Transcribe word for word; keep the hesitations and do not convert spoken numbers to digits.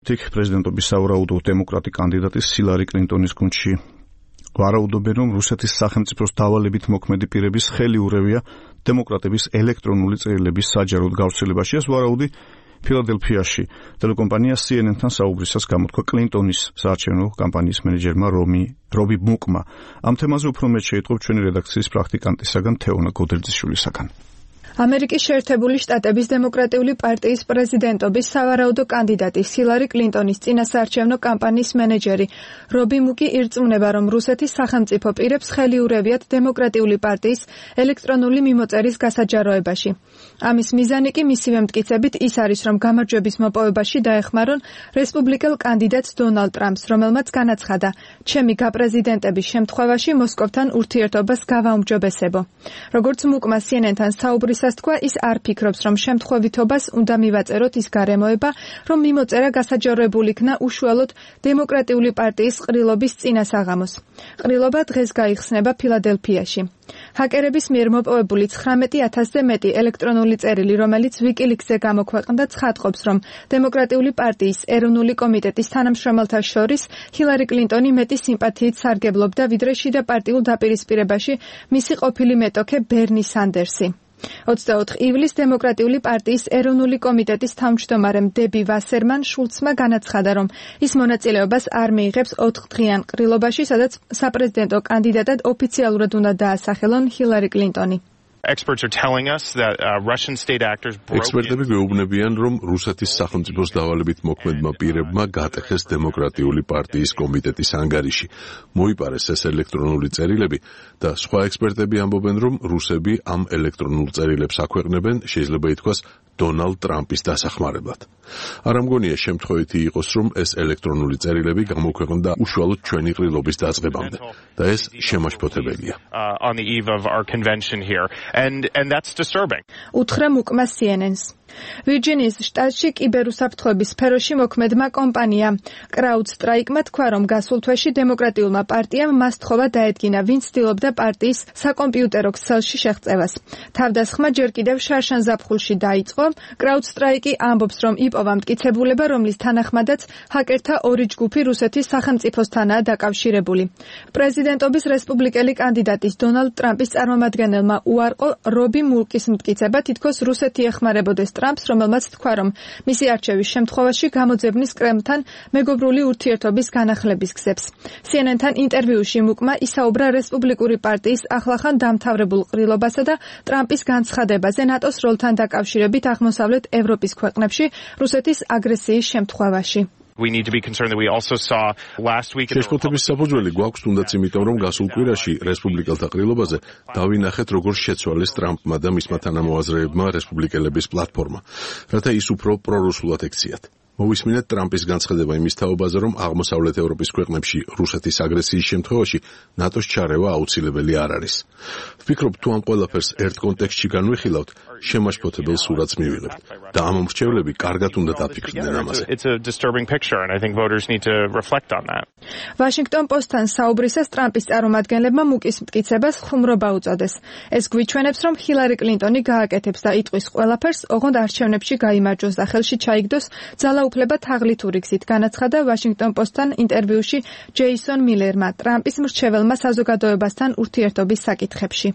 თიქ პრეზიდენტობის სავარაუდო დემოკრატი კანდიდატის ჰილარი კლინტონის გუნდში ვარაუდობენ, რომ რუსეთის სახელმწიფოს დავალებით მოქმედი პირების ხელი ურევია დემოკრატების ელექტრონული წერილების საჯაროდ გავრცელებაში. ეს ვარაუდი ფილადელფიაში ტელეკომპანია C N N-თან საუბრისას გამოთქვა კლინტონის საარჩევნო კამპანიის მენეჯერმა რომი რობი მუკმა. ამ თემაზე უფრო მეტ შეიტყობ ჩვენი რედაქციის პრაქტიკანტისაგან თეონა გოდერძიშვილისაგან. ამერიკის შეერთებული შტატების დემოკრატიული პარტიის პრეზიდენტობის სავარაუდო კანდიდატი ჰილარი კლინტონის წინასაარჩევნო კამპანიის მენეჯერი რობი მუკი ირწმუნება, რომ რუსეთის სახელმწიფო პირებს ხელი ურევიათ დემოკრატიული პარტიის ელექტრონული მიმოწერის გასაჯაროებაში. ამის მიზანი კი მისივე მტკიცებით ის არის, რომ გამარჯვების მოპოვებაში დაეხმარონ რესპუბლიკელ კანდიდატს დონალდ ტრამპს, რომელმაც განაცხადა, ჩემი გაპრეზიდენტების შემთხვევაში მოსკოვთან ურთიერთობას გავაუმჯობესებო. როგორც მუკმა C N N-თან საუბრისას თქვა, ის არ ფიქრობს, რომ შემთხვევითობას უნდა მივაწეროთ ის გარემოება, რომ მიმოწერა გასაჯაროებული იქნა უშუალოდ დემოკრატიული პარტიის ყრილობის წინასაღამოს. ყრილობა დღეს გაიხსნება ფილადელფიაში. ჰაკერების მიერ მოპოვებული ცხრამეტი ათასზე მეტი ელექტრონული წერილი, რომელიც ვიკილიქსზე გამოქვეყნდა, ცხადყოფს, რომ დემოკრატიული პარტიის ეროვნული კომიტეტის თანამშრომელთა შორის ჰილარი კლინტონი მეტი სიმპათიით სარგებლობდა, ვიდრე შიდა პარტიულ დაპირისპირებაში მისი ყოფილი მეტოქე ბერნი სანდერსი. ოცდაოთხ ივლისს დემოკრატიული პარტიის ეროვნული კომიტეტის თავმჯდომარემ დები ვასერმან შულცმა განაცხადა, რომ ის მონაწილეობას არ მიიღებს ოთხდღიან ყრილობაში, სადაც საპრეზიდენტო კანდიდატად ოფიციალურად უნდა დაასახელონ ჰილარი კლინტონი. Experts are telling us that uh, Russian state actors broke Ekspertები გვეუბნებიან, რომ რუსეთის სახელმწიფოს დავალებით მოქმედმა პირებმა გატეხეს დემოკრატიული პარტიის კომიტეტის ანგარიში. მოიპარეს ეს ელექტრონული წერილები და სხვა ექსპერტები ამბობენ, რომ რუსები ამ ელექტრონულ წერილებს აქვეყნებენ, შეიძლება ითქვას, დონალდ ტრამპის დასახმარებლად. არ ამგონია შემთხვევითი იყოს, რომ ეს ელექტრონული წერილები გამოქვეყნდა უშუალოდ ჩვენი ყრილობის დაწყებამდე და ეს შემაშფოთებელია. uh, on the eve of our convention here. And, and that's disturbing. უთხრა მუკმა C N N-ს. ვირჯინიის შტატში კიბერუსაფრთხოების სფეროში მოქმედმა კომპანია CrowdStrike-მა თქვა, რომ გასულ თვეში დემოკრატიულმა პარტიამ მას თხოვა დაედგინა, ვინც ცდილობდა პარტიის საკომპიუტერო ქსელში შეღწევას. თავდასხმა ჯერ კიდევ შარშან ზაფხულში დაიწყო. CrowdStrike-ი ამბობს, რომ იპოვა მტკიცებულება, რომლის თანახმადაც ჰაკერთა ორი ჯგუფი რუსეთის სახელმწიფოსთანაა დაკავშირებული. პრეზიდენტობის რესპუბლიკელი კანდიდატის დონალდ ტრამპის წარმომადგენელმა უარყო რობი მუკის მტკიცება, თითქოს რუსეთი ეხმარებოდეს ტრამპს, რომელმაც თქვა, რომ მისი არჩევის შემთხვევაში გამოძებნის კრემლთან მეგობრული ურთიერთობის განახლების გზებს. C N N-თან ინტერვიუში მუკმა ისაუბრა რესპუბლიკური პარტიის ახლახან დამთავრებულ ყრილობასა და ტრამპის განცხადებაზე ნატოს როლთან დაკავშირებით აღმოსავლეთ ევროპის ქვეყნებში რუსეთის აგრესიის შემთხვევაში. We need to be concerned that we also saw last week შეშფოთების საფუძველი გვაქვს თუნდაც იმიტომ, რომ გასულ კვირაში რესპუბლიკელთა ყრილობაზე დავინახეთ, როგორ შეცვალეს ტრამპმა და მისმა თანამოაზრეებმა რესპუბლიკელების პლატფორმა, რათა ის უფრო პრორუსულად ექციათ. მოვისმინეთ ტრამპის განცხადება იმის თაობაზე, რომ აღმოსავლეთ ევროპის ქვეყნებში რუსეთის აგრესიის შემთხვევაში ნატოს ჩარევა აუცილებელი არ არის. ვფიქრობ, თუ ამ ყველაფერს ერთ კონტექსტში განვიხილავთ, შემაშფოთებელ სურათს მივიღებთ და ამ მომრჩევლები კარგად უნდა დაფიქრდნენ ამაზე. It's a disturbing picture and I think voters need to reflect on that. Washington Post-თან საუბრისას ტრამპის წარმომადგენლებმა მუკის მტკიცებას ხუმრობა უწოდეს. ეს გვიჩვენებს, რომ ჰილარი კლინტონი გააკეთებს და იტყვის ყველაფერს, ოღონდ არჩევნებში გაიმარჯვოს და ხელში ჩაიგდოს ძალაუფლება თაღლითური გზით, განაცხადა Washington Post-თან ინტერვიუში ჯეისონ მილერმა ტრამპის მრჩეველმა საზოგადოებასთან ურთიერთობის საკითხებში.